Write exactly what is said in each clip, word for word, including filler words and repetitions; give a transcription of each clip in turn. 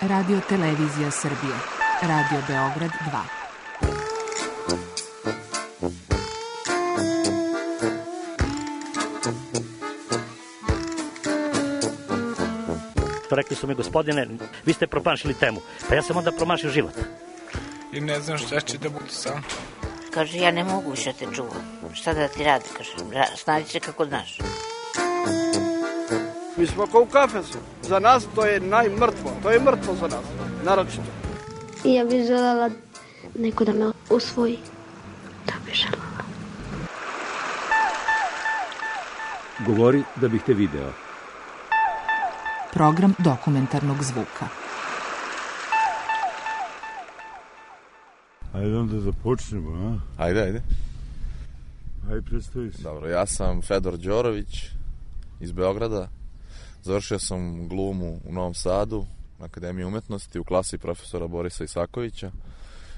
Radio Televizija Srbije. Radio Beograd dva. Rekli su mi, gospodine, vi ste promašili temu. Pa ja sam onda promašio život. I ne znam šta će da bude sam. Kaže, ja ne mogu više te čuvam. Šta da ti radi, kaže, snađi se kako znaš. Mi smo kao u kafesu. Za nas to je najmrtvo. To je mrtvo za nas, naročito. I ja bih želela neko da me usvoji. Da bih želela. Govori da bih te video. Program dokumentarnog zvuka. Ajde onda da počnemo, a? Ajde, ajde. Ajde, predstavi se. Dobro, ja sam Fedor Đorović iz Beograda. Završio sam glumu u Novom Sadu, na Akademiji umetnosti, u klasi profesora Borisa Isakovića.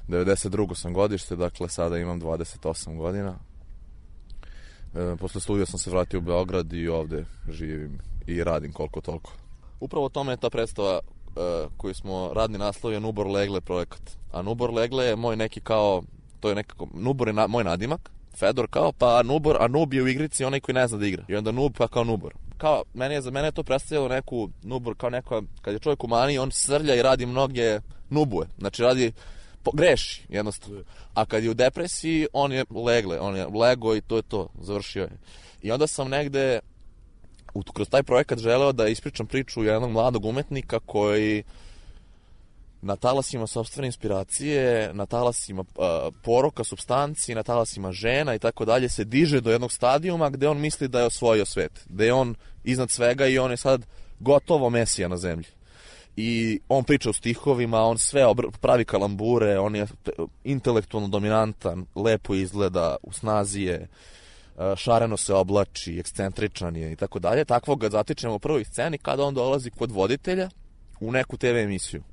devedeset drugo sam godište, dakle sada imam dvadeset osam godina. E, posle studija sam se vratio u Beograd i ovde živim i radim koliko toliko. Upravo o tome je ta predstava uh, koju smo radni naslov je Nubor Legle projekat. A Nubor Legle je moj neki kao, to je nekako, Nubor je na, moj nadimak, Fedor kao, pa Nubor, a Nub je u igrici onaj koji ne zna da igra. I onda Nub pa kao Nubor. Kao, meni je, za mene je to predstavljalo neku, Nubor kao neka, kad je čovjek u maniji, on srlja i radi mnoge nubuje. Znači radi, po, greši jednostavno. A kad je u depresiji, on je Legle, on je lego i to je to, završio je. I onda sam negde kroz taj projekat želeo da ispričam priču jednog mladog umetnika koji na talasima sopstvene inspiracije, na talasima uh, poroka, supstanci, na talasima žena i tako dalje se diže do jednog stadijuma gde on misli da je osvojio svet, gde je on iznad svega i on je sad gotovo mesija na zemlji. I on priča o stihovima, on sve obr- pravi kalambure, on je intelektualno dominantan, lepo izgleda, u snazi je, šareno se oblači, ekscentričan je i tako dalje. Takvog ga zatičemo u prvoj sceni kada on dolazi kod voditelja u neku te ve emisiju.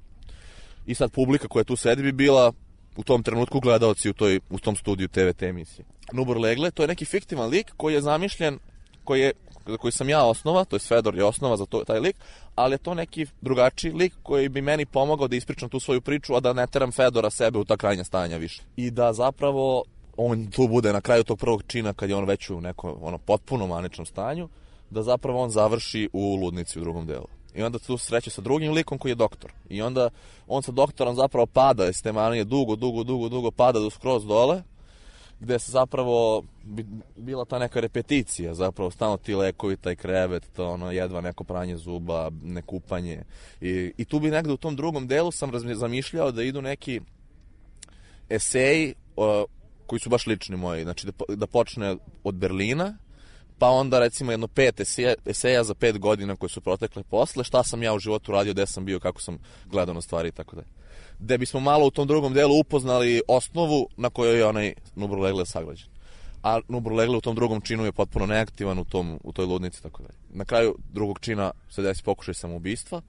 I sad publika koja tu sedi bi bila u tom trenutku gledaoci u, toj, u tom studiju te ve te emisije. Nubor Legle, to je neki fiktivan lik koji je zamišljen, koji, je, koji sam ja osnova, to je Fedor je osnova za to, taj lik, ali je to neki drugačiji lik koji bi meni pomogao da ispričam tu svoju priču, a da ne teram Fedora sebe u ta krajnja stanja više. I da zapravo on tu bude na kraju tog prvog čina kad je on već u nekom ono, potpuno maničnom stanju, da zapravo on završi u ludnici u drugom delu. I onda tu sreće sa drugim likom koji je doktor. I onda on sa doktorom zapravo pada iz te manije, dugo, dugo, dugo, dugo pada do skroz dole, gde se zapravo bila ta neka repeticija, zapravo stalno ti lekovi, taj krevet, to ono, jedva neko pranje zuba, nekupanje. I, i tu bi negde u tom drugom delu sam zamišljao da idu neki eseji o, koji su baš lični moji, znači da, da počne od Berlina, pa onda recimo jedno pet eseja, eseja za pet godina koje su protekle posle, šta sam ja u životu radio, gde sam bio, kako sam gledao na stvari i tako dalje. Gde bismo malo u tom drugom delu upoznali osnovu na kojoj je onaj Nubor Legle sagrađen. A Nubor Legle u tom drugom činu je potpuno neaktivan u, tom, u toj ludnici i tako dalje. Na kraju drugog čina se desi pokušaj samoubistva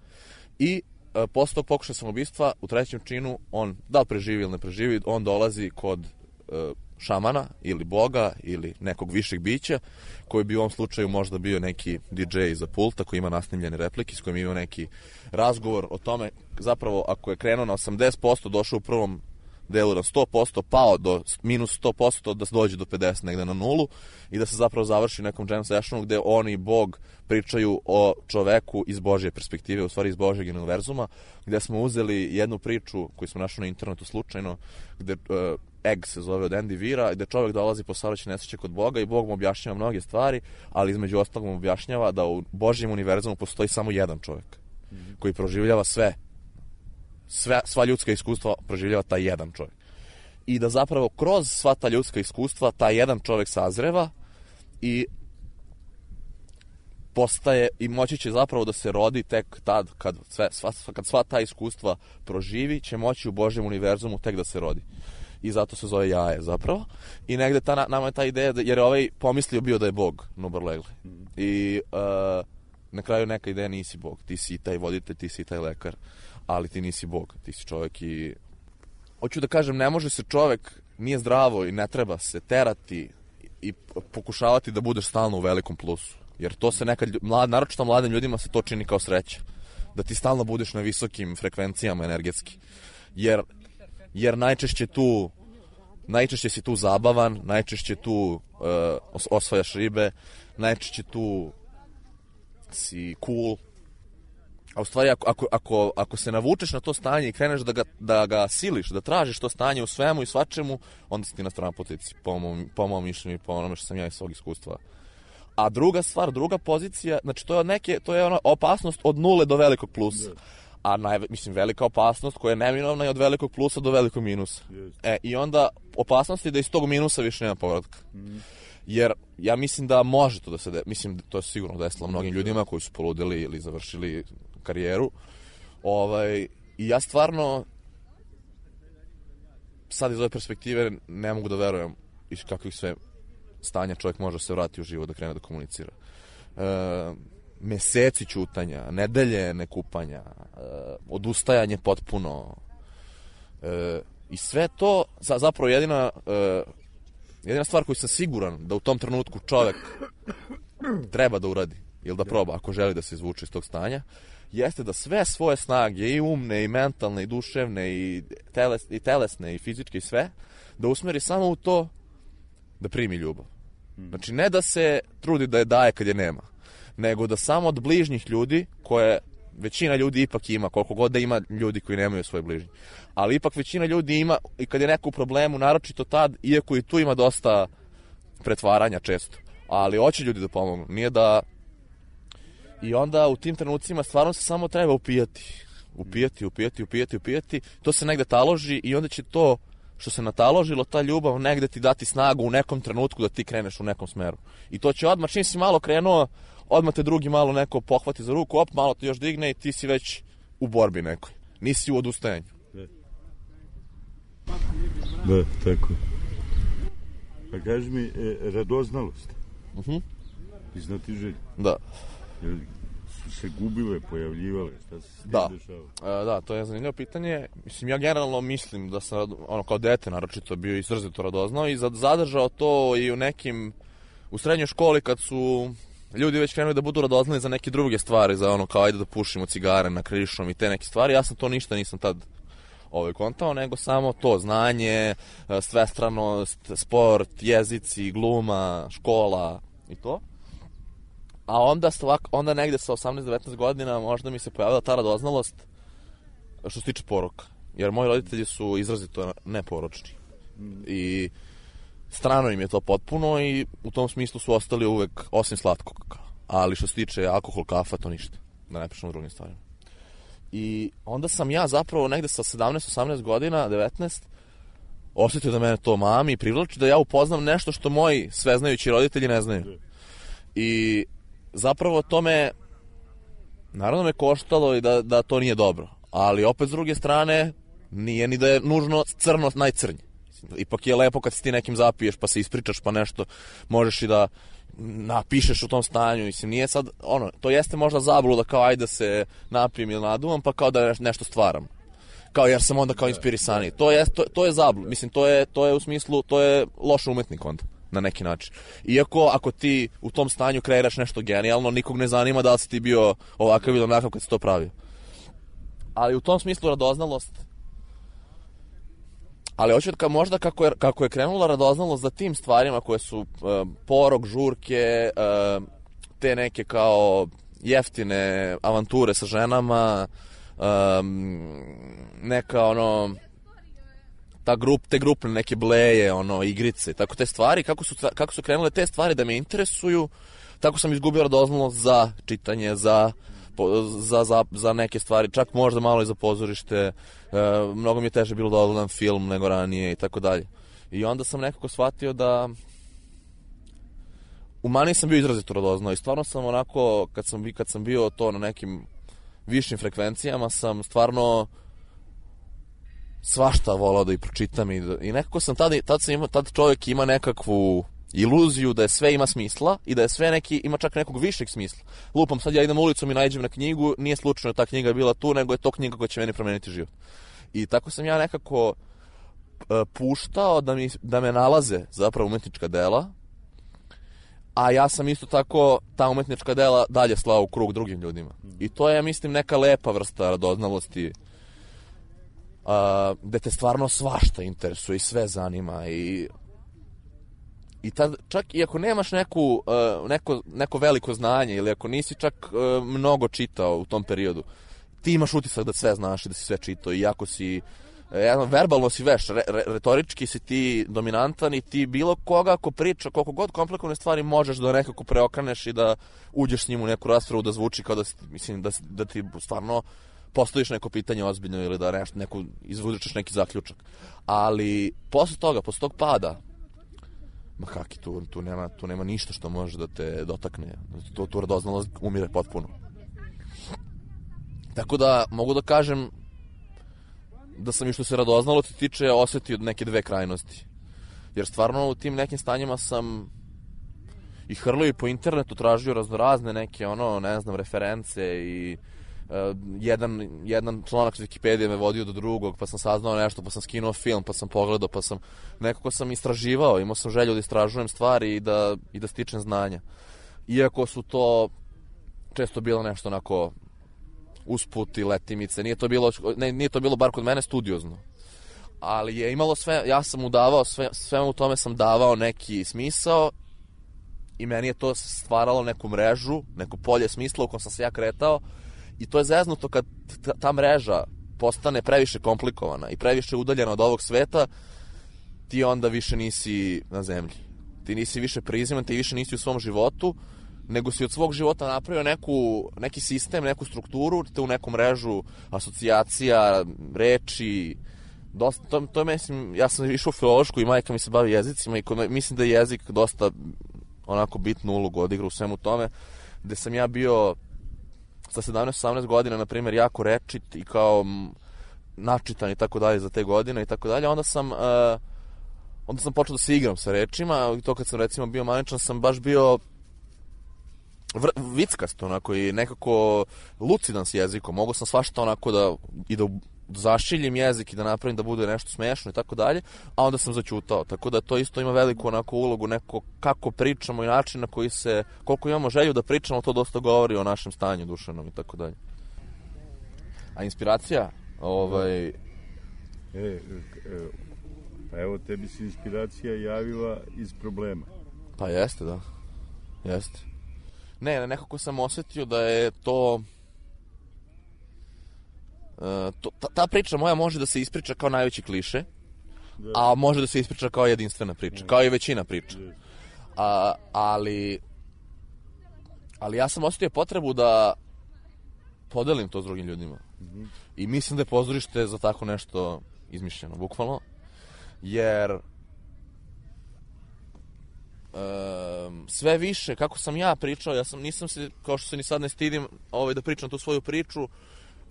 i e, posle tog pokušaja samoubistva u trećem činu on, da li preživi ili ne preživi, on dolazi kod e, šamana ili boga ili nekog višeg bića koji bi u ovom slučaju možda bio neki di džej za pulta koji ima nasnimljene replike s kojim ima neki razgovor o tome zapravo ako je krenuo na osamdeset posto došao u prvom delu na sto posto pao do minus sto posto da se dođe do pedeset negde na nulu i da se zapravo završi nekom jam sessionu gde oni i Bog pričaju o čoveku iz Božje perspektive, u stvari iz Božjeg univerzuma, gde smo uzeli jednu priču koju smo našli na internetu slučajno, gde uh, Egg se zove od Andy Weira, gde čovjek dolazi po saobraćajnoj nesreći kod Boga i Bog mu objašnjava mnoge stvari, ali između ostalog mu objašnjava da u Božjem univerzumu postoji samo jedan čovjek mm-hmm. koji proživljava sve, sve, sva ljudska iskustva proživljava taj jedan čovjek. I da zapravo kroz sva ta ljudska iskustva taj jedan čovjek sazreva i postaje i moći će zapravo da se rodi tek tad kad, sve, sva, kad sva ta iskustva proživi, će moći u Božjem univerzumu tek da se rodi. I zato se zove jaje zapravo. I negde ta, nama je ta ideja, da, jer je ovaj pomislio bio da je Bog, Nubor Legle. I uh, na kraju neka ideja nisi Bog. Ti si taj voditelj, ti si taj lekar, ali ti nisi Bog. Ti si čovjek i... Hoću da kažem, ne može se čovjek, nije zdravo i ne treba se terati i pokušavati da budeš stalno u velikom plusu. Jer to se nekad, mlad, naročito mladim ljudima se to čini kao sreća. da ti stalno budeš na visokim frekvencijama energetski. Jer, jer najčešće tu, najčešće si tu zabavan, najčešće tu uh, osvajaš ribe, najčešće tu si cool. A u stvari, ako, ako, ako, ako se navučeš na to stanje i kreneš da ga, da ga siliš, da tražiš to stanje u svemu i svačemu, onda si ti na strana poziciji, po mom, po mom mišljenju i po onome što sam ja iz svog iskustva. A druga stvar, druga pozicija, znači to je, neke, to je ona opasnost od nule do velikog plusa. A naj, mislim, velika opasnost koja je neminovna je od velikog plusa do velikog minusa. E, i onda opasnost je da iz tog minusa više nema povratka. Jer ja mislim da može to da se de, mislim to je sigurno desilo mnogim ljudima koji su poludeli ili završili karijeru. Ovaj, i ja stvarno sad iz ove perspektive ne mogu da verujem iz kakvih sve stanja čovjek može se vratiti u život da krene da komunicira. E, meseci ćutanja, nedelje nekupanja, e, odustajanje potpuno. E, I sve to za, zapravo jedina e, jedina stvar koju sam siguran da u tom trenutku čovjek treba da uradi ili da proba ako želi da se izvuče iz tog stanja, jeste da sve svoje snage, i umne, i mentalne, i duševne, i, teles, i telesne, i fizičke, i sve, da usmeri samo u to da primi ljubav. Znači, ne da se trudi da je daje kad je nema, nego da samo od bližnjih ljudi, koje većina ljudi ipak ima, koliko god da ima ljudi koji nemaju svoje bližnje, ali ipak većina ljudi ima, i kad je neko u problemu, naročito tad, iako i tu ima dosta pretvaranja često, ali hoće ljudi da pomognu, nije da... I onda u tim trenucima stvarno se samo treba upijati. Upijati, upijati, upijati, upijati. To se negde taloži i onda će to što se nataložilo, ta ljubav, negde ti dati snagu u nekom trenutku da ti kreneš u nekom smeru. I to će odmah, čim si malo krenuo, odmah te drugi malo neko pohvati za ruku, op, malo te još digne i ti si već u borbi nekoj. Nisi u odustajanju. Da, tako. A kaži mi, e, radoznalost. Uh-huh. I znatiželj. Da. Jel su se gubile, pojavljivale? Šta se s tim da. dešava? E, da, to je zanimljivo pitanje. Mislim, ja generalno mislim da sam, ono, kao dete naročito bio izrazito radoznao i zadržao to i u nekim, u srednjoj školi kad su ljudi već krenuli da budu radoznali za neke druge stvari, za ono kao ajde da pušimo cigare na krišom i te neke stvari. Ja sam to ništa nisam tad ovaj kontao, nego samo to znanje, svestranost, sport, jezici, gluma, škola i to. A onda, stvak, onda negde sa osamnaest devetnaest godina možda mi se pojavila ta radoznalost što se tiče poroka. Jer moji roditelji su izrazito neporočni. I strano im je to potpuno i u tom smislu su ostali uvek osim slatkog. Ali što se tiče alkohol, kafa, to ništa. Da ne pričamo o drugim stvarima. I onda sam ja zapravo negde sa sedamnaest osamnaest godina, devetnaest, osjetio da mene to mami i privlači, da ja upoznam nešto što moji sveznajući roditelji ne znaju. I zapravo to me, naravno me koštalo i da, da to nije dobro. Ali opet s druge strane, nije ni da je nužno crno najcrnje. Ipak je lepo kad se ti nekim zapiješ pa se ispričaš pa nešto, možeš i da napišeš u tom stanju. Mislim, nije sad, ono, to jeste možda zabluda kao ajde da se napijem ili naduvam pa kao da nešto stvaram. Kao jer sam onda kao inspirisaniji. To je, to, to je zabluda. Mislim, to je, to je u smislu, to je loš umetnik onda. Na neki način. Iako ako ti u tom stanju kreiraš nešto genijalno, nikog ne zanima da li si ti bio ovakav ili onakav kad si to pravio. Ali u tom smislu radoznalost. Ali hoću da možda kako je, kako je krenula radoznalost za tim stvarima koje su uh, porok, žurke, uh, te neke kao jeftine avanture sa ženama, um, neka ono... ta grup, te grupne neke bleje, ono, igrice, tako te stvari, kako su, kako su krenule te stvari da me interesuju, tako sam izgubio radoznalost za čitanje, za, za, za, za neke stvari, čak možda malo i za pozorište, e, mnogo mi je teže bilo da odgledam film nego ranije i tako dalje. I onda sam nekako shvatio da u mani sam bio izrazito radoznao i stvarno sam onako, kad sam, kad sam bio to na nekim višim frekvencijama, sam stvarno svašta volao da i pročitam i, da, i nekako sam tada, tad, sam ima, tad čovjek ima nekakvu iluziju da je sve ima smisla i da je sve neki, ima čak nekog višeg smisla. Lupam, sad ja idem ulicom i naiđem na knjigu, nije slučajno ta knjiga bila tu, nego je to knjiga koja će meni promeniti život. I tako sam ja nekako uh, puštao da, mi, da me nalaze zapravo umetnička dela, a ja sam isto tako ta umetnička dela dalje slao u krug drugim ljudima. I to je, mislim, neka lepa vrsta radoznalosti, uh, gde te stvarno svašta interesuje i sve zanima i i tad, čak i ako nemaš neku, uh, neko, neko veliko znanje ili ako nisi čak uh, mnogo čitao u tom periodu, ti imaš utisak da sve znaš i da si sve čitao i ako si uh, verbalno si veš, re, re, retorički si ti dominantan i ti bilo koga ako priča, koliko god komplikovane stvari možeš da nekako preokreneš i da uđeš s njim u neku raspravu da zvuči kao da, mislim, da, da ti stvarno postaviš neko pitanje ozbiljno ili da nešto, neku, izvučeš neki zaključak. Ali posle toga, posle tog pada, ma kaki, tu, tu, nema, tu nema ništa što može da te dotakne. Tu, tu radoznalost umire potpuno. Tako da mogu da kažem da sam i što se radoznalosti tiče osetio neke dve krajnosti. Jer stvarno u tim nekim stanjima sam i hrlio i po internetu, tražio raznorazne neke, ono, ne znam, reference i uh, jedan, jedan članak iz Wikipedije me vodio do drugog, pa sam saznao nešto, pa sam skinuo film, pa sam pogledao, pa sam nekako sam istraživao, imao sam želju da istražujem stvari i da, i da stičem znanja. Iako su to često bilo nešto onako usput i letimice, nije to bilo, ne, nije to bilo bar kod mene studiozno. Ali je imalo sve, ja sam mu davao, sve, sve u tome sam davao neki smisao i meni je to stvaralo neku mrežu, neko polje smisla u kojem sam se ja kretao i to je zeznuto kad ta, ta mreža postane previše komplikovana i previše udaljena od ovog sveta, ti onda više nisi na zemlji. Ti nisi više priziman, ti više nisi u svom životu, nego si od svog života napravio neku, neki sistem, neku strukturu, te u neku mrežu asocijacija, reči. Dosta, to, to je, mislim, ja sam išao u filološku i majka mi se bavi jezicima i kod, mislim da je jezik dosta onako bitnu ulogu odigra u svemu tome, gde sam ja bio sa sedamnaest osamnaest godina, na primjer, jako rečit i kao m, načitan i tako dalje za te godine i tako dalje, onda sam uh, onda sam počeo da se igram sa rečima i to kad sam recimo bio maničan sam baš bio vr, vickast onako i nekako lucidan s jezikom, mogu sam svašta onako da i da zašiljim jezik i da napravim da bude nešto smešno i tako dalje, a onda sam zaćutao. Tako da to isto ima veliku onako ulogu, neko kako pričamo i način na koji se, koliko imamo želju da pričamo, to dosta govori o našem stanju duševnom i tako dalje. A inspiracija? Ovaj... E, e, pa evo, tebi se inspiracija javila iz problema. Pa jeste, da. Jeste. Ne, nekako sam osetio da je to... Uh, to, ta, ta priča moja može da se ispriča kao najveći kliše, da. A može da se ispriča kao jedinstvena priča, da. Kao i većina priča. Da. A, ali ali ja sam osetio potrebu da podelim to s drugim ljudima. Mm-hmm. I mislim da je pozorište za tako nešto izmišljeno, bukvalno. Jer um, sve više, kako sam ja pričao, ja sam, nisam se, kao što se ni sad ne stidim ovaj, da pričam tu svoju priču,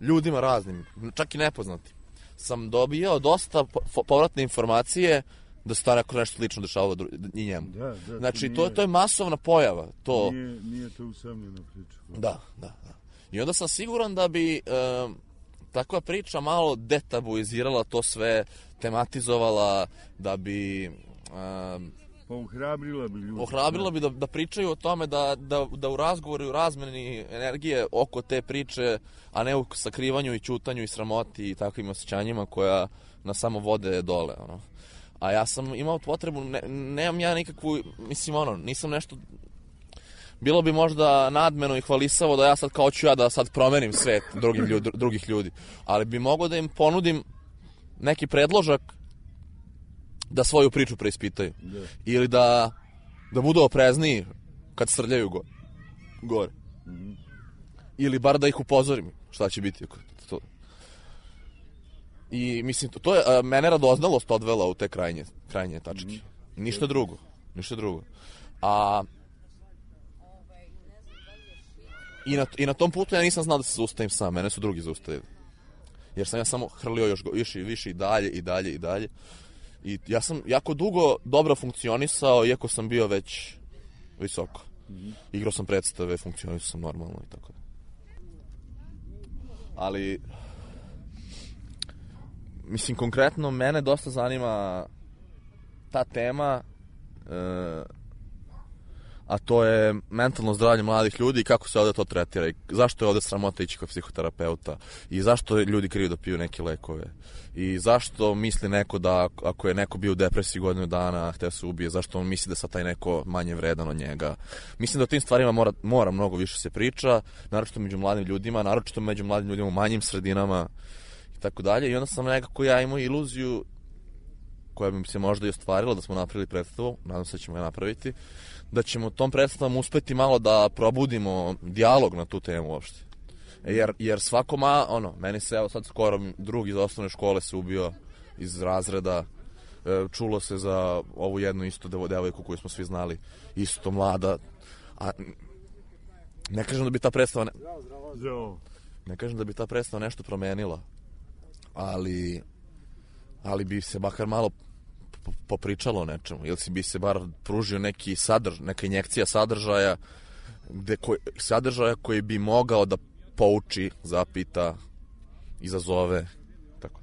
ljudima raznim, čak i nepoznati, sam dobio dosta povratne informacije da se to nešto slično dešavalo i njemu. Da, da, znači, to, nije, to je masovna pojava. To... Nije, nije to usamljena priča. Da, da, da. I onda sam siguran da bi um, takva priča malo detabuizirala to sve, tematizovala, da bi... Um, Pa ohrabrila bi ljudi. Ohrabrila bi da, da pričaju o tome, da, da, da u razgovoru i u razmeni energije oko te priče, a ne u sakrivanju i ćutanju i sramoti i takvim osjećanjima koja nas samo vode dole. Ono. A ja sam imao potrebu, ne, nemam ja nikakvu, mislim ono, nisam nešto... Bilo bi možda nadmeno i hvalisavo da ja sad kao ću ja da sad promenim svet drugim ljudi, drugih ljudi, ali bi mogao da im ponudim neki predložak da svoju priču preispitaju. Da. Ili da, da budu oprezniji kad srljaju go, gore. Mm-hmm. Ili bar da ih upozorim šta će biti. To. I mislim, to, to je a, mene radoznalost odvela u te krajnje, krajnje tačke. Mm-hmm. Ništa drugo. Ništa drugo. A i na, i na tom putu ja nisam znao da se zaustavim sam. Mene su drugi zaustavili. Jer sam ja samo hrlio još više i više i dalje i dalje i dalje. I ja sam jako dugo dobro funkcionisao, iako sam bio već visoko. Mm-hmm. Igrao sam predstave, funkcionisao sam normalno i tako da. Ali, mislim, konkretno, mene dosta zanima ta tema, e, a to je mentalno zdravlje mladih ljudi i kako se ovde to tretira i zašto je ovde sramota ići kod psihoterapeuta i zašto ljudi kriju da piju neke lekove i zašto misli neko da ako je neko bio u depresiji godinu dana, hteo se ubije, zašto on misli da sad taj neko manje vredan od njega. Mislim da o tim stvarima mora, mora mnogo više se priča, naročito među mladim ljudima, naročito među mladim ljudima u manjim sredinama i tako dalje. I onda sam nekako ja imao iluziju koja bi se možda i ostvarila da smo napravili predstavu, nadam se da ćemo ga napraviti, da ćemo tom predstavom uspeti malo da probudimo dijalog na tu temu uopšte. Jer, jer svako ma, ono, meni se evo sad skoro drug iz osnovne škole se ubio iz razreda, čulo se za ovu jednu isto devojku koju smo svi znali, isto mlada, a ne kažem da bi ta predstava ne, ne kažem da bi ta predstava nešto promenila, ali ali bi se makar malo popričalo o nečemu, ili si bi se bar pružio neki sadrž, neka injekcija sadržaja, gde koji, sadržaja koji bi mogao da pouči, zapita, izazove, tako.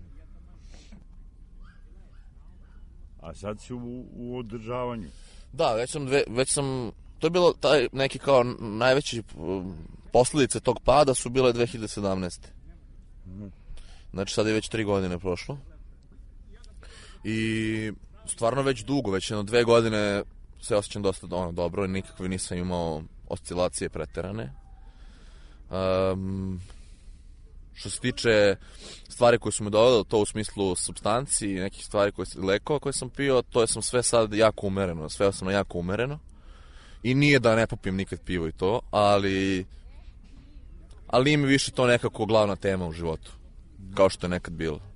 A sad si u, u održavanju. Da, već sam, dve, već sam, to je bilo taj neki kao najveći posljedice tog pada su bile dve hiljade sedamnaeste. Mm. Znači sad je već tri godine prošlo. I stvarno već dugo, već jedno dve godine se osjećam dosta ono, dobro i nikakve nisam imao oscilacije preterane. Um, što se tiče stvari koje su me dovele, to u smislu supstanci i nekih stvari koje, lekova koje sam pio, to je sam sve sad jako umereno, sve sam jako umereno i nije da ne popijem nikad pivo i to, ali ali nije mi više to nekako glavna tema u životu, kao što je nekad bilo.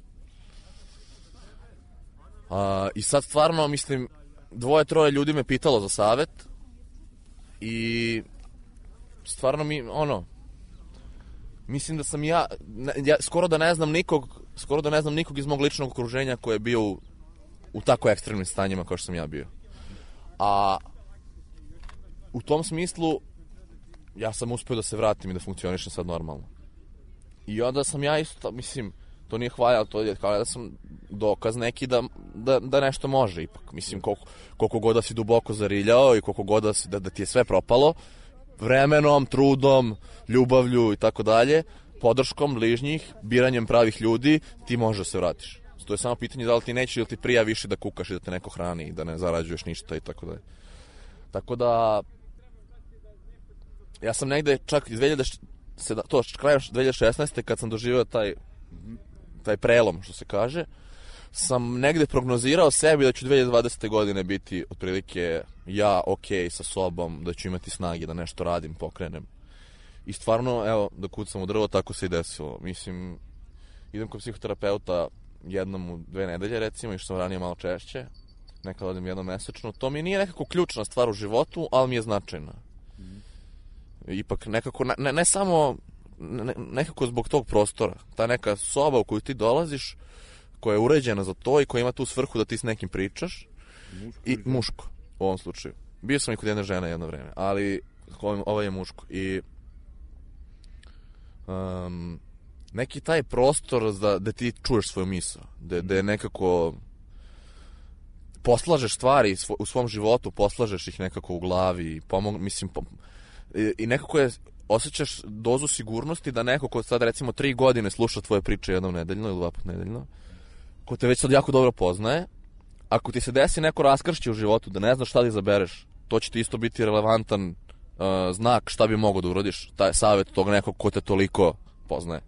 A, i sad stvarno, mislim, dvoje, troje ljudi me pitalo za savet i stvarno mi, ono, mislim da sam ja, ja skoro da ne znam nikog, skoro da ne znam nikog iz mog ličnog okruženja koji je bio u, u tako ekstremnim stanjima kao što sam ja bio. A u tom smislu ja sam uspio da se vratim i da funkcionišem sad normalno. I onda sam ja isto, mislim, to nije hvalja, to je kao da sam dokaz neki da, da, da nešto može ipak. Mislim, koliko, koliko god da si duboko zariljao i koliko god da, si, da, da ti je sve propalo, vremenom, trudom, ljubavlju i tako dalje, podrškom bližnjih, biranjem pravih ljudi, ti možeš da se vratiš. To je samo pitanje da li ti neće ili ti prija više da kukaš i da te neko hrani i da ne zarađuješ ništa i tako dalje. Tako da, ja sam negde čak iz dve hiljade sedamnaeste, to krajem dve hiljade šesnaeste kad sam doživio taj taj prelom, što se kaže, sam negde prognozirao sebi da ću dve hiljade dvadesete godine biti otprilike ja okej sa sobom, da ću imati snage da nešto radim, pokrenem. I stvarno, evo, da kucam u drvo, tako se i desilo. Mislim, idem kod psihoterapeuta jednom u dve nedelje, recimo, i što sam ranije malo češće, nekad odim jednom mesečno. To mi nije nekako ključna stvar u životu, ali mi je značajna. Ipak nekako, ne, ne samo ne, nekako zbog tog prostora, ta neka soba u koju ti dolaziš, koja je uređena za to i koja ima tu svrhu da ti s nekim pričaš, muško i muško u ovom slučaju. Bio sam i kod jedne žene jedno vreme, ali ovo je muško i um, neki taj prostor da, da ti čuješ svoju misao, da, da je nekako poslažeš stvari u svom životu, poslažeš ih nekako u glavi i pomog, mislim, pom, i, i nekako je osjećaš dozu sigurnosti da neko ko sad recimo tri godine sluša tvoje priče jednom nedeljno ili dva put nedeljno, ko te već sad jako dobro poznaje, ako ti se desi neko raskršće u životu da ne znaš šta da izabereš, to će ti isto biti relevantan uh, znak šta bi mogao da urodiš, taj savjet tog nekog ko te toliko poznaje.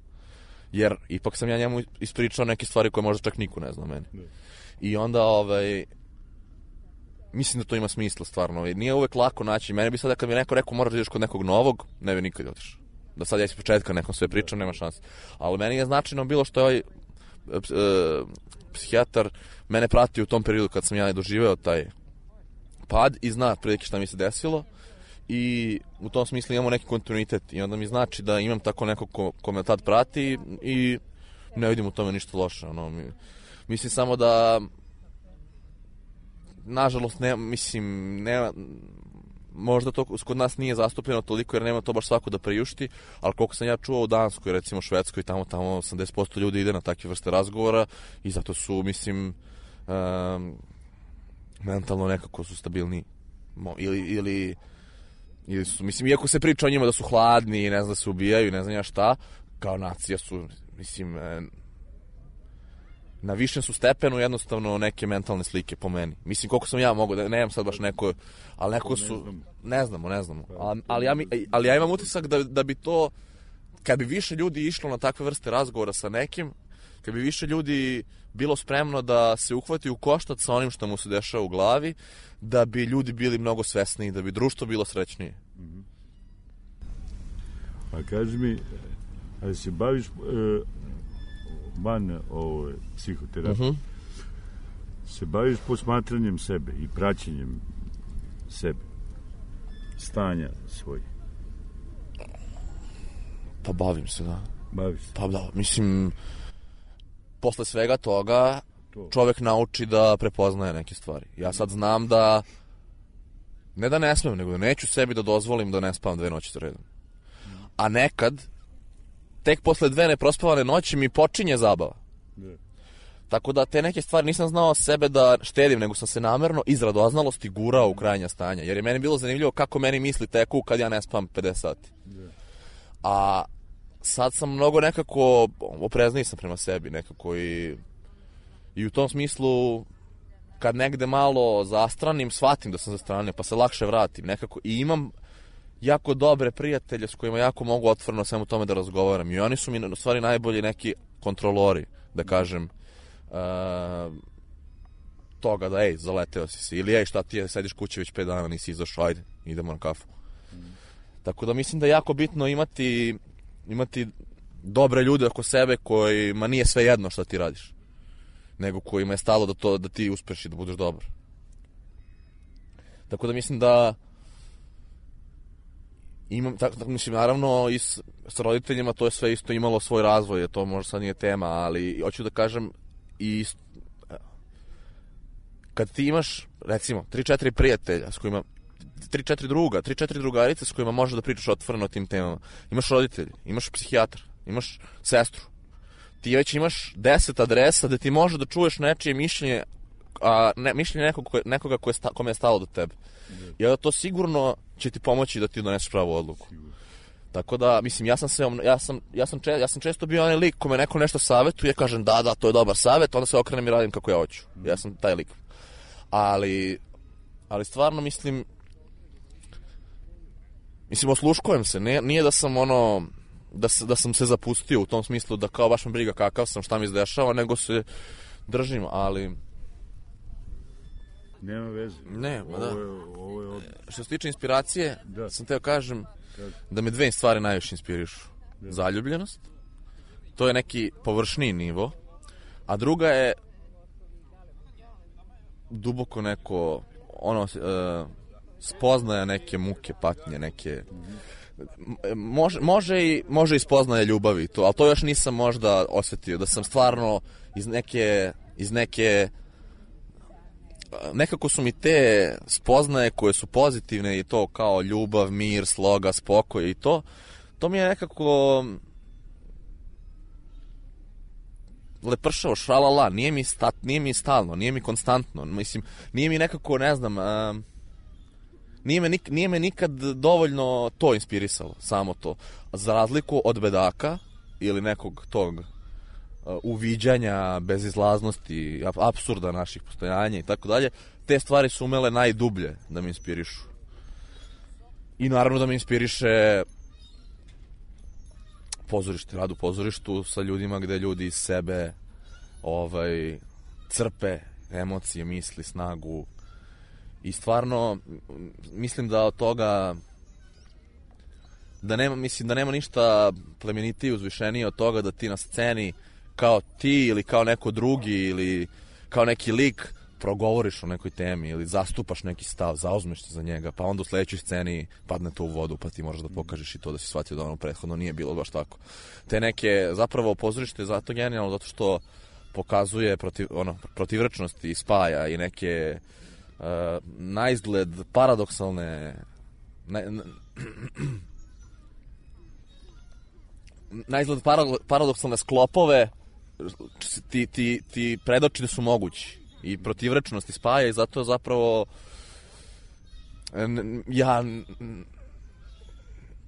Jer ipak sam ja njemu ispričao neke stvari koje možda čak niko ne zna meni. I onda ovaj mislim da to ima smisla stvarno. Nije uvek lako naći. Mene bi sada kad mi neko rekao moraš da ideš kod nekog novog, ne bi nikad otišao. Da sad ja iz početka nekom sve pričam, nema šanse. Ali meni je značajno bilo što je ovaj e, psihijatar mene pratio u tom periodu kad sam ja doživeo taj pad i zna prilike šta mi se desilo i u tom smislu imamo neki kontinuitet i onda mi znači da imam tako nekog ko, ko me tad prati i ne vidim u tome ništa loše. Ono, mi, mislim samo da nažalost, ne, mislim, nema, možda to kod nas nije zastupljeno toliko jer nema to baš svako da priušti, ali koliko sam ja čuo u Danskoj, recimo Švedskoj, tamo, tamo osamdeset posto ljudi ide na takve vrste razgovora i zato su, mislim, um, mentalno nekako su stabilni. Ili, ili Ili su, mislim, iako se priča o njima da su hladni i ne znam da se ubijaju i ne znam ja šta, kao nacija su, mislim, e, na višem su stepenu jednostavno neke mentalne slike po meni. Mislim, koliko sam ja mogu, da nemam sad baš neko, ali neko su, ne znamo, ne znamo. Ali, ali, ja, mi, ali ja imam utisak da, da bi to, kad bi više ljudi išlo na takve vrste razgovora sa nekim, kad bi više ljudi bilo spremno da se uhvati u koštac sa onim što mu se dešava u glavi, da bi ljudi bili mnogo svesniji, da bi društvo bilo srećnije. A kaži mi, ali se baviš e, van ove psihoterapije, uh-huh. se baviš posmatranjem sebe i praćenjem sebe, stanja svojih? Pa bavim se, da. Baviš se? Pa da, mislim, posle svega toga to. Čovek nauči da prepoznaje neke stvari. Ja sad znam da, ne da ne smem, nego da neću sebi da dozvolim da ne spavam dve noći za redom. A nekad, tek posle dve neprospavane noći mi počinje zabava. Ne. Tako da te neke stvari nisam znao sebe da štedim, nego sam se namerno iz radoznalosti gurao u krajnja stanja. Jer je meni bilo zanimljivo kako meni misli teku kad ja ne spavam pedeset sati. Ne. A sad sam mnogo nekako oprezniji sam prema sebi, nekako i, i u tom smislu kad negde malo zastranim, shvatim da sam zastranio, pa se lakše vratim nekako i imam jako dobre prijatelje s kojima jako mogu otvoreno svemu tome da razgovaram i oni su mi u stvari najbolji neki kontrolori, da kažem, uh, toga da ej, zaleteo si se ili ej, šta ti je, sediš kući već pet dana, nisi izašao, ajde, idemo na kafu. Mm. Tako da mislim da je jako bitno imati imati dobre ljude oko sebe kojima nije sve jedno šta ti radiš, nego kojima je stalo da, to, da ti uspeš i da budeš dobar. Tako da mislim da imam, tako, tako, mislim, naravno i s, s roditeljima to je sve isto imalo svoj razvoj, to možda sad nije tema, ali hoću da kažem i kad ti imaš, recimo, tri četiri prijatelja s kojima tri četiri druga, tri četiri drugarice s kojima možeš da pričaš otvoreno o tim temama. Imaš roditelji, imaš psihijatar, imaš sestru. Ti već imaš deset adresa da ti može da čuješ nečije mišljenje, a ne, mišljenje nekog, nekoga koje sta, kome je stalo do tebe. I onda to sigurno će ti pomoći da ti doneseš pravu odluku. Tako da, mislim, ja sam se, ja sam, ja sam, če, ja sam često bio onaj lik kome neko nešto savjetuje, kažem da, da, to je dobar savjet, onda se okrenem i radim kako ja hoću. Ja sam taj lik. Ali, ali stvarno mislim, Mislim, osluškujem se, nije, nije da sam ono, da, da sam se zapustio u tom smislu da kao baš me briga kakav sam, šta mi izdešava, nego se držim, ali... Nema veze. Ne, ma da. Ovo je, ovo je od... Što se tiče inspiracije, da. sam teo kažem da me dve stvari najviše inspirišu. Da. Zaljubljenost, to je neki površniji nivo, a druga je duboko neko, ono... Uh, spoznaja neke muke, patnje, neke... Može, može, i, može i spoznaja ljubavi, to, ali to još nisam možda osjetio, da sam stvarno iz neke... Iz neke nekako su mi te spoznaje koje su pozitivne i to kao ljubav, mir, sloga, spokoj i to, to mi je nekako... lepršavo, šalala, nije mi, stat, nije mi stalno, nije mi konstantno, mislim, nije mi nekako, ne znam... Uh, Nije me, nik, nije me nikad dovoljno to inspirisalo, samo to. Za razliku od bedaka ili nekog tog uh, uviđanja, bezizlaznosti, apsurda naših postojanja i tako dalje, te stvari su umele najdublje da me inspirišu. I naravno da me inspiriše pozorište, rad u pozorištu sa ljudima gde ljudi iz sebe ovaj, crpe emocije, misli, snagu. I stvarno mislim da od toga da nema, mislim da nema ništa plemenitije, uzvišenije od toga da ti na sceni kao ti ili kao neko drugi ili kao neki lik progovoriš o nekoj temi ili zastupaš neki stav, zauzmeš se za njega, pa onda u sledećoj sceni padne to u vodu, pa ti možeš da pokažeš i to da si shvatio da ono prethodno nije bilo baš tako. Te neke, zapravo pozorište je zato genijalno zato što pokazuje protiv, ono, protivrečnost i spaja i neke Uh, na izgled paradoksalne na, na, na izgled paradoksalne sklopove ti, ti, ti predoči da su mogući i protivrečnosti spaja i zato zapravo ja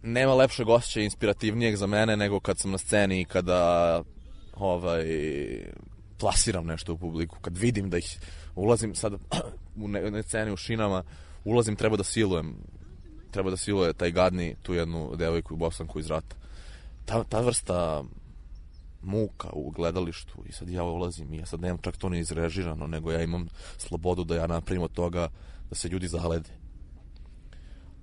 nema lepšeg osjećaja inspirativnijeg za mene nego kad sam na sceni i kada ovaj, plasiram nešto u publiku, kad vidim da ih ulazim sad u ne sceni u šinama, ulazim, treba da silujem, treba da siluje taj gadni tu jednu devojku i Bosanku iz rata. Ta, ta vrsta muka u gledalištu i sad ja ulazim i ja sad nemam čak to ni izrežirano, nego ja imam slobodu da ja napravim od toga da se ljudi zalede.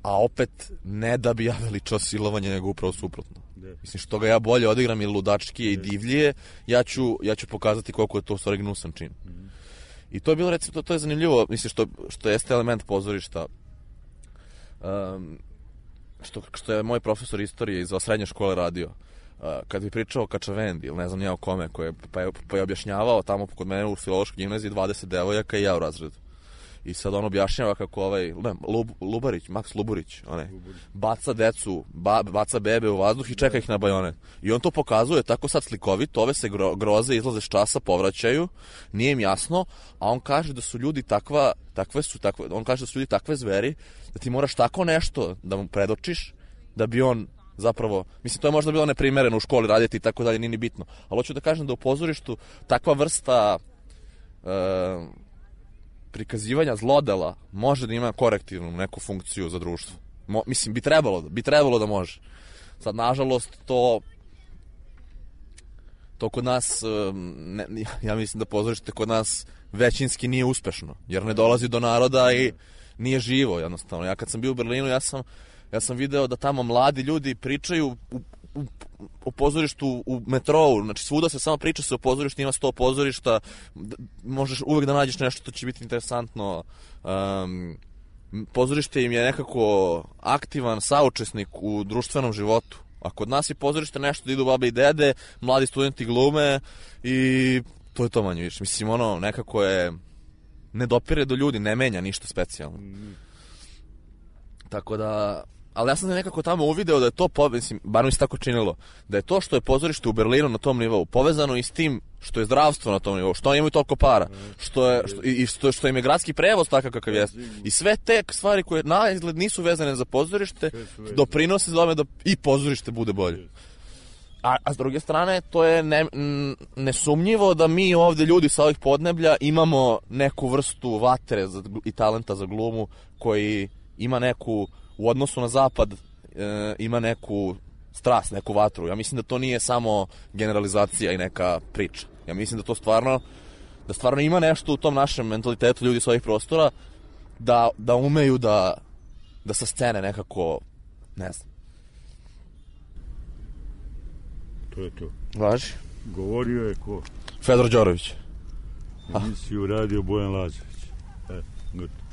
A opet ne da bi ja veličao silovanje, nego upravo suprotno. Mislim, što ga ja bolje odigram i ludačkije i divljije, ja ću, ja ću pokazati koliko je to u stvari gnusan čin. Mm-hmm. I to je bilo, recimo, to, to je zanimljivo, mislim, što, što jeste element pozorišta. Um, što, što je moj profesor istorije iz srednje škole radio. Uh, kad bi pričao o Kačavendi, ili ne znam ja o kome, koje, pa, je, pa je objašnjavao tamo kod mene u filološkoj gimnaziji dvadeset devojaka i ja u razredu. I sad on objašnjava kako ovaj, ne, Lub, Lubarić, Maks Luburić, onaj, baca decu, ba, baca bebe u vazduh i čeka ih na bajonet. I on to pokazuje tako sad slikovito, ove se gro, groze, izlaze s časa, povraćaju, nije im jasno, a on kaže da su ljudi takva, takve su, takve, on kaže da su ljudi takve zveri, da ti moraš tako nešto da mu predočiš, da bi on zapravo, mislim, to je možda bilo neprimereno u školi raditi i tako dalje, nije ni bitno. Ali hoću da kažem da u pozorištu takva vrsta e, prikazivanja zlodela može da ima korektivnu neku funkciju za društvo. Mo, mislim, bi trebalo, bi trebalo da može. Sad, nažalost, to to kod nas, ne, ja mislim da pozorište kod nas većinski nije uspešno, jer ne dolazi do naroda i nije živo, jednostavno. Ja kad sam bio u Berlinu, ja sam, ja sam video da tamo mladi ljudi pričaju u, u, o pozorištu u metrou, znači svuda se samo priča se o pozorištu, ima sto pozorišta, možeš uvek da nađeš nešto što će biti interesantno. Um, pozorište im je nekako aktivan saučesnik u društvenom životu. A kod nas je pozorište nešto da idu babe i dede, mladi studenti glume i to je to manje više. Mislim, ono, nekako je, ne dopire do ljudi, ne menja ništa specijalno. Mm. Tako da, ali ja sam nekako tamo uvideo da je to, po, mislim, bar mi se tako činilo, da je to što je pozorište u Berlinu na tom nivou povezano i s tim što je zdravstvo na tom nivou, što oni imaju toliko para, što je, što, i što, što im je gradski prevoz takav kakav jeste. I sve te stvari koje na izgled nisu vezane za pozorište, doprinose tome da i pozorište bude bolje. A, a s druge strane, to je ne, nesumnjivo da mi ovde ljudi sa ovih podneblja imamo neku vrstu vatre za, i talenta za glumu koji ima neku, u odnosu na zapad, e, ima neku strast, neku vatru. Ja mislim da to nije samo generalizacija i neka priča. Ja mislim da to stvarno, da stvarno ima nešto u tom našem mentalitetu ljudi sa ovih prostora da, da umeju da, da sa scene nekako, ne znam. To je to. Važi? Govorio je ko? Fedor Đorović. Emisiju radio Bojan Lazović. E, gotovo.